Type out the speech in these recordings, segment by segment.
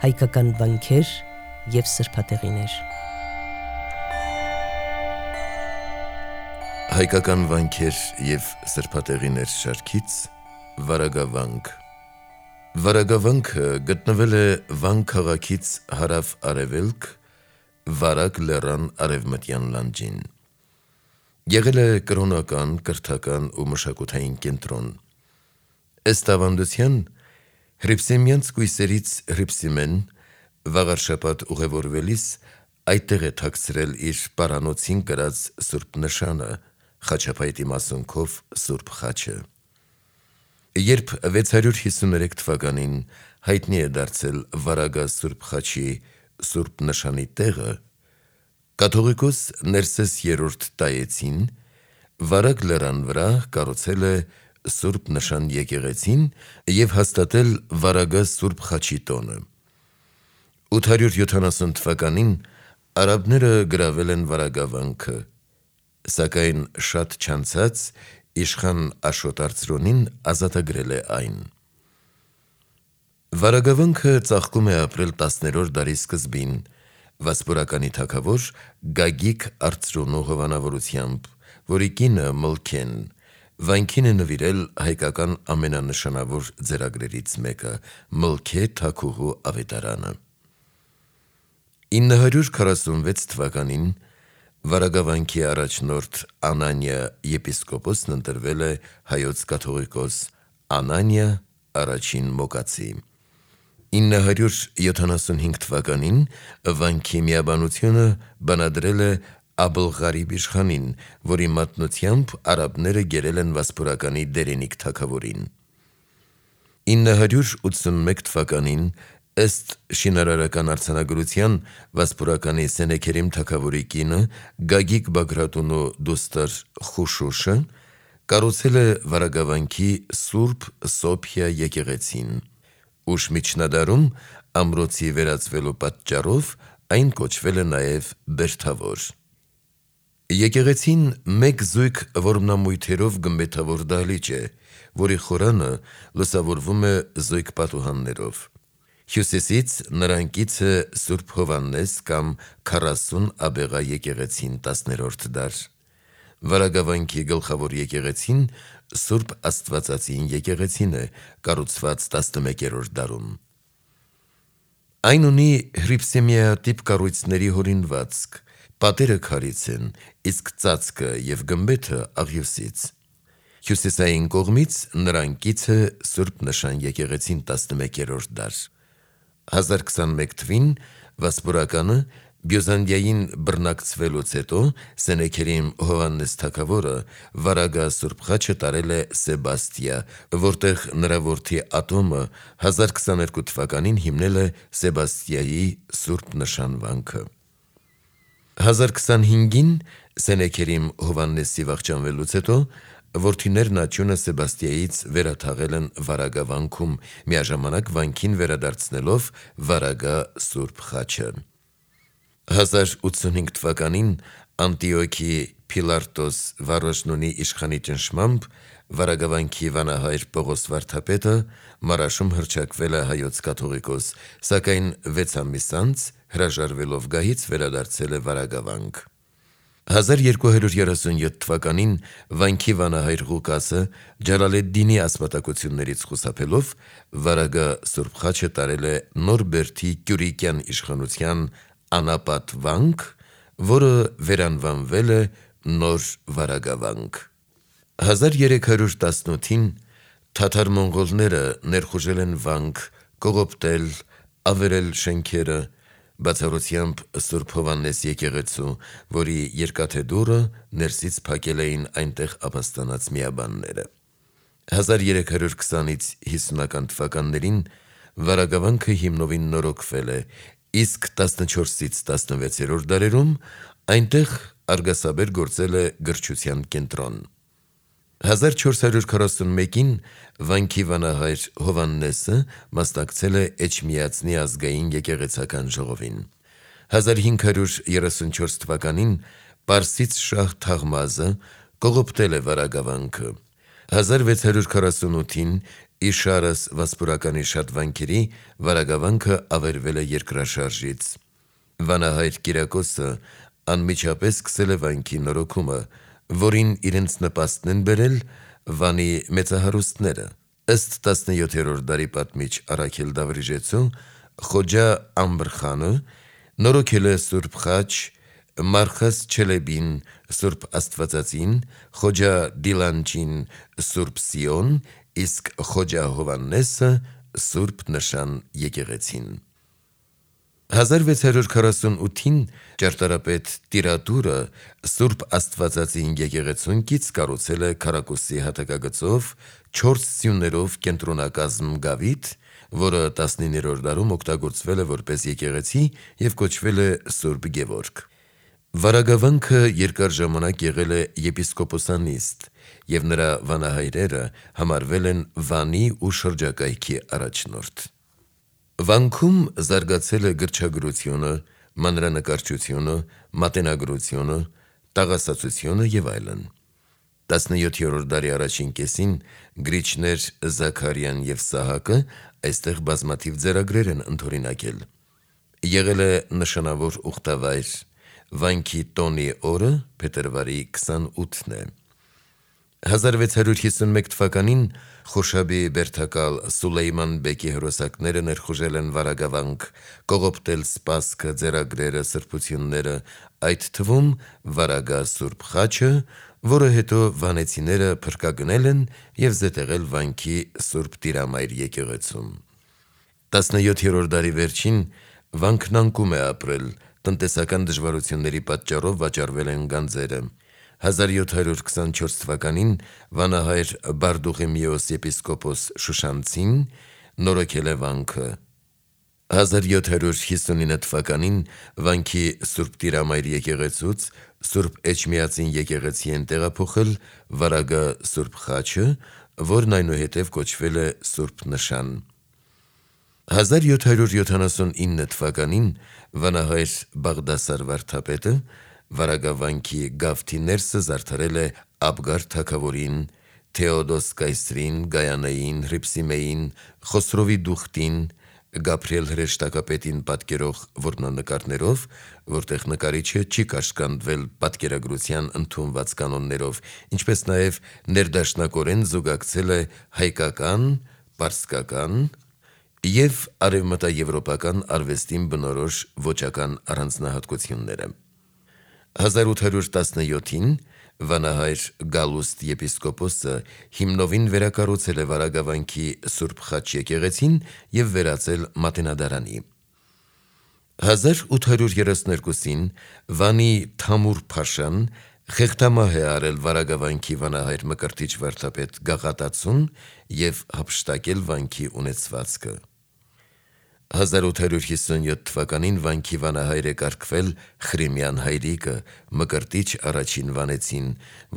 հայկական վանքեր և սրբատեղիներ։ Հայկական վանքեր և սրբատեղիներ շարքից Վարագավանք։ Վարագավանքը գտնվել է Վանք քաղաքից հարավ-արևելք, Վարագ լեռան արևմտյան լանջին։ Եղել է կրոնական, կրթական ու մշակութային կենտրոն։ Ըստ ավանդության, հռիփսիմյանց կույսերից Հռիփսիմեն վաղարշաբաթ ուղևորվելիս այդտեղ է թաքցրել իր պարանոցին կրած սուրբ նշանը, խաչապայտի մասունքով սուրբ խաչը։ Երբ 653 թվականին հայտնի է դարձել Վարագա սուրբ խաչի սուրբ նշանի տեղը, կաթողիկոս Ներսես III Տայեցին Վարագ լեռան վրա կառուցել է սուրբ նշան եկեղեցին և հաստատել Վարագա սուրբ խաչի տոնը։ 870 թվականին արաբները գրավել են Վարագավանքը, սակայն շատ չանցած իշխան Աշոտ Արծրոնին ազատագրել է այն։ Վարագավանքը ծաղկում է ապրել 10-րդ դարի սկզբին վասպուրականի թագավոր Գագիկ Արծրունու հովանավորությամբ, որի կինը Մլքեն վանքին է նվիրել հայկական ամենանշանավոր ձեռագրերից մեկը՝ Մլքե թագուհու ավետարանը։ 946 թվականին Վարագավանքի առաջնորդ Անանիա եպիսկոպոսն ընտրվել է հայոց կաթողիկոս Անանիա I Մոկացի։ 975 թվականին վանքի միաբանությունը բանադրել է Աբլղարիբ իշխանին, որի մատնությամբ արաբները գերել են վասպուրականի Դերենիկ թագավորին։ 981 թվականին ըստ շինարարական արձանագրության վասպուրականի Սենեքերիմ թագավորի կինը Գագիկ Բագրատունու դուստր Խուշուշը կառուցել է Վարագավանքի Սուրբ Սոփիա եկեղեցին։ Ուշ միջնադարում ամրոցի վերածվելու պատճառով այն կոչվել է նաև Բերդավոր։ Եկեղեցին մեկ զույգ որմնամույթերով գմբեթավոր դահլիճ է, որի խորանը լուսավորվում է զույգ պատուհաններով։ Հյուսիսից նրան կից է Սուրբ Հովհաննես կամ 40 աբեղա եկեղեցին 10-րդ դար։ Վարագավանքի գլխավոր եկեղեցին Սուրբ Աստվածածին եկեղեցին է, կառուցված 11-րդ դարում։ Այն ունի հռիփսիմեատիպ կառույցների հորինվածք, պատերը քարից են, իսկ ծածկը և գմբեթը աղյուսից։ Հյուսիսային կողմից նրան կից է Սուրբ Նշան եկեղեցին 11-րդ դար։ 1021 թվին վասպուրականը Բյուզանդիային բռնակցվելուց հետո Սենեքերիմ Հովհաննես թագավորը Վարագա սուրբ խաչը տարել է Սեբաստիա, որտեղ նրա որդի Ատոմը 1022 թվականին հիմնել է Սեբաստիայի Սուրբ Նշան վանքը։ 1025-ին Սենեքերիմ Հովհաննեսի վախճանվելուց հետո որդիներն աճյունը Սեբաստիայից վերաթաղել են Վարագավանքում, միաժամանակ վանքին վերադարձնելով Վարագա սուրբ խաչը։ 1085 թվականին Անտիոքի Փիլարտոս Վարոժնունի իշխանի ճնշմամբ Վարագավանքի վանահայր Պողոս վարդապետը Մարաշում հռչակվել է հայոց կաթողիկոս, սակայն 6 ամիս անց հրաժարվելով գահից վերադարձել է Վարագավանք։ 1237 թվականին վանքի վանահայր Ղուկասը Ջալալեդդինի ասպատակություններից խուսափելով Վարագա սուրբ խաչը տարել է Նորբերդի Կյուրիկյան իշխանության անապատ վանք, որը վերանվանվել է Նոր Վարագավանք։ 1318-ին թաթար-մոնղոլները ներխուժել են վանք, կողոպտել, ավերել շենքերը, բացառությամբ Սուրբ Հովհաննես եկեղեցու, որի երկաթե դուռը ներսից փակել էին այնտեղ ապաստանած միաբանները։ 1320-ից 50-ական թվականներին Վարագավանքը հիմնովին նորոգվել է, իսկ 14-ից 16-րդ դարերում այնտեղ արգասաբեր գործել է գրչության կենտրոն։ 1441-ին վանքի վանահայր Հովհաննեսը մասնակցել է Էջմիածնի ազգային եկեղեցական ժողովին։ 1534 թվականին պարսից շահ Թաղմազը կողոպտել է Վարագավանքը։ 1648-ին Իշարս վասպուրականի շատ վանքերի վարագավանքը ավերվել է երկրաշարժից։ Վանահայր Կիրակոսը անմիջապես սկսել է վանքի նորոգումը, որին իրենց նպաստն են բերել Վանի մեծահարուստները։ Ըստ 17-րդ դարի պատմիչ Առաքել Դավրիժեցու, Խոջա Ամբրխանը նորոգել է Սուրբ Խաչ, Մարխաս Չելեբին Սուրբ Աստվածածին, Խոջա Դիլանջին Սուրբ Սիոն, իսկ Խոջա Հովաննեսը Սուրբ Նշան եկեղեցին։ 1648-ին ճարտարապետ Տիրատուրը Սուրբ Աստվածածին եկեղեցուն կից կառուցել է քառակուսի հատակագծով 4 սյուներով կենտրոնակազմ գավիթ, որը 19-րդ դարում օգտագործվել է որպես եկեղեցի և կոչվել է Սուրբ Գևորգ։ Վարագավանքը երկար ժամանակ եղել է եպիսկոպոսանիստ, և նրա վանահայրերը համարվել են Վանի ու շրջակայքի առաջնորդ։ Վանքում զարգացել է գրչագրությունը, մանրանկարչությունը, մատենագրությունը, տաղասացությունը և այլն։ 17-րդ դարի առաջին կեսին գրիչներ Զաքարիան և Սահակը այստեղ բազմաթիվ ձեռագրեր են ընդօրինակել։ Եղել է նշանավոր ուխտավայր։ Վանքի տոնի օրը փետրվարի 28-ն է։ 1651 թվականին Խոշաբի բերդակալ Սուլեյման բեկի հրոսակները ներխուժել են վարագավանք, կողոպտել սպասքը, ձեռագրերը, սրբությունները, այդ թվում վարագա Սուրբ Խաչը, որը հետո վանեցիները փրկագնել են և զետեղել վանքի Սուրբ Տիրամայր եկեղեցում։ 17-րդ դարի վերջին վանքն անկում է ապրել, տնտեսական դժվարությունների պատճառով վաճառվել են գանձերը։ 1724 թվականին վանահայր Բարդուղիմեոս եպիսկոպոս Շուշանցին նորոգել է վանքը։ 1759 թվականին վանքի Սուրբ Տիրամայր եկեղեցուց Սուրբ Էջմիածին եկեղեցի են տեղափոխել վարագա Սուրբ Խաչը, որն այնուհետև կոչվել է Սուրբ Նշան։ 1779 թվականին վանահայր Բաղդասար վարդապետը վարագավանքի գավթի ներսը զարդարել է Աբգար թագավորին, Թեոդոս կայսրին, Գայանեին, Հրիփսիմեին, Խոսրովի Դուխտին, Գաբրիել հրեշտակապետին պատկերող որմնանկարներով, որտեղ նկարիչը չի կաշկանդվել պատկերագրության ընդունված կանոններով, ինչպես նաև ներդաշնակորեն զուգակցել է հայկական, պարսկական և արևմտաեվրոպական արվեստին բնորոշ ոճական առանձնահատկությունները։ 1817-ին վանահայր Գալուստ եպիսկոպոսը հիմնովին վերակառուցել է վարագավանքի Սուրբ Խաչ եկեղեցին և վերածել մատենադարանի։ 1832-ին Վանի Թամուր Փաշան խեղդամահ է արել վարագավանքի վանահայր Մկրտիչ վարդապետ Գաղատացուն և հափշտակել վանքի ունեցվածքը։ 1857 թվականին վանքի վանահայր է կարգվել Խրիմյան հայրիկը, Մկրտիչ առաջին վանեցին,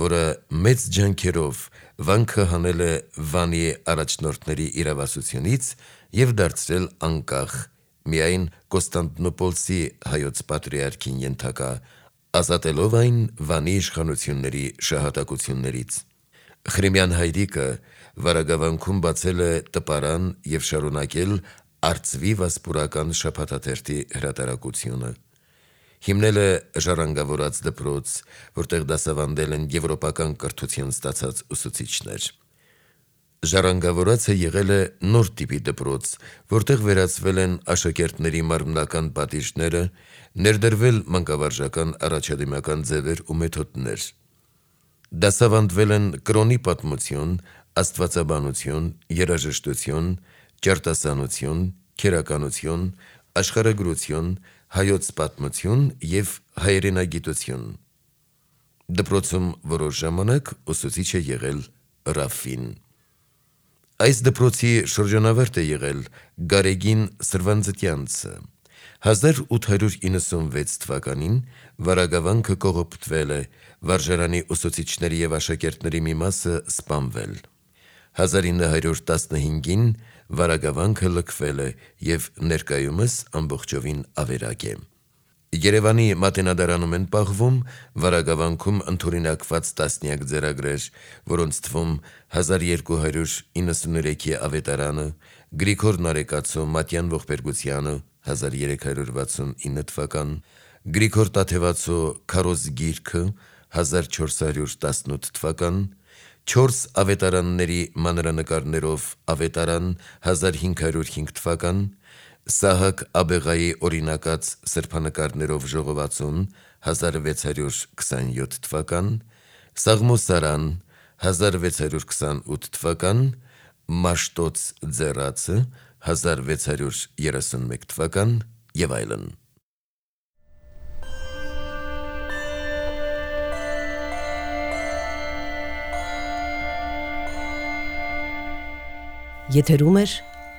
որը մեծ ջանքերով վանքը հանել է Վանի առաջնորդների իրավասությունից և դարձրել անկախ, միայն Կոստանդնուպոլսի հայոց պատրիարքին ենթակա, ազատելով այն Վանի իշխանությունների շահատակություններից։ Խրիմյան հայրիկը վարագավանքում բացել է տպարան և շարունակել Արծվի վասպուրական շաբաթաթերթի հրատարակությունը։ Հիմնել է ժառանգավորած դպրոց, որտեղ դասավանդել են եվրոպական կրթություն ստացած ուսուցիչներ։ Ժառանգավորածը եղել է նոր տիպի դպրոց, որտեղ վերացվել են աշակերտների մարմնական պատիժները, ներդրվել մանկավարժական առաջադիմական ձևեր ու մեթոդներ։ Դասավանդվել են կրոնի պատմություն, աստվածաբանություն, երաժշտություն, ճարտասանություն, քերականություն, աշխարհագրություն, հայոց պատմություն և հայրենագիտություն։ Դպրոցում որոշ ժամանակ ուսուցիչ է եղել Ռաֆին։ Այս դպրոցի շրջանավարտ է եղել Գարեգին Սրվանձտյանցը։ 1896 թվականին վարագավանքը կողոպտվել է, վարժարանի ուսուցիչների և աշակերտների մի մասը սպանվել։ 1915-ին վարագավանքը լքվել է և ներկայումս ամբողջովին ավերակ է։ Երևանի Մատենադարանում են պահվում վարագավանքում ընդօրինակված տասնյակ ձեռագրեր, որոնց թվում 1293-ի ավետարանը, Գրիգոր Նարեկացու Մատյան ողբերգությանը 1369 թվական, Գրիգոր Տաթևացու Քարոզ գիրքը 1418 թվական, 4 ավետարանների մանրանկարներով ավետարան 1505 թվական, Սահակ Աբեղայի օրինակած սրբանկարներով ժողովածուն 1627 թվական, Սաղմոսարան 1628 թվական, Մաշտոց ձեռացը 1631 թվական եւ այլն։ Եթերում է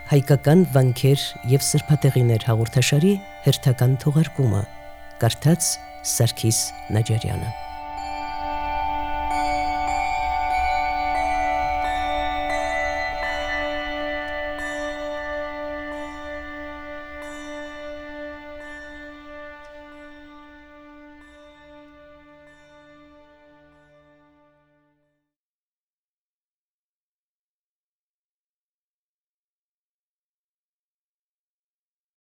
հայկական վանքեր եւ սրբատեղիներ հաղորդաշարի հերթական թողարկումը։ Կարդաց Սարգիս Նաջարյանը։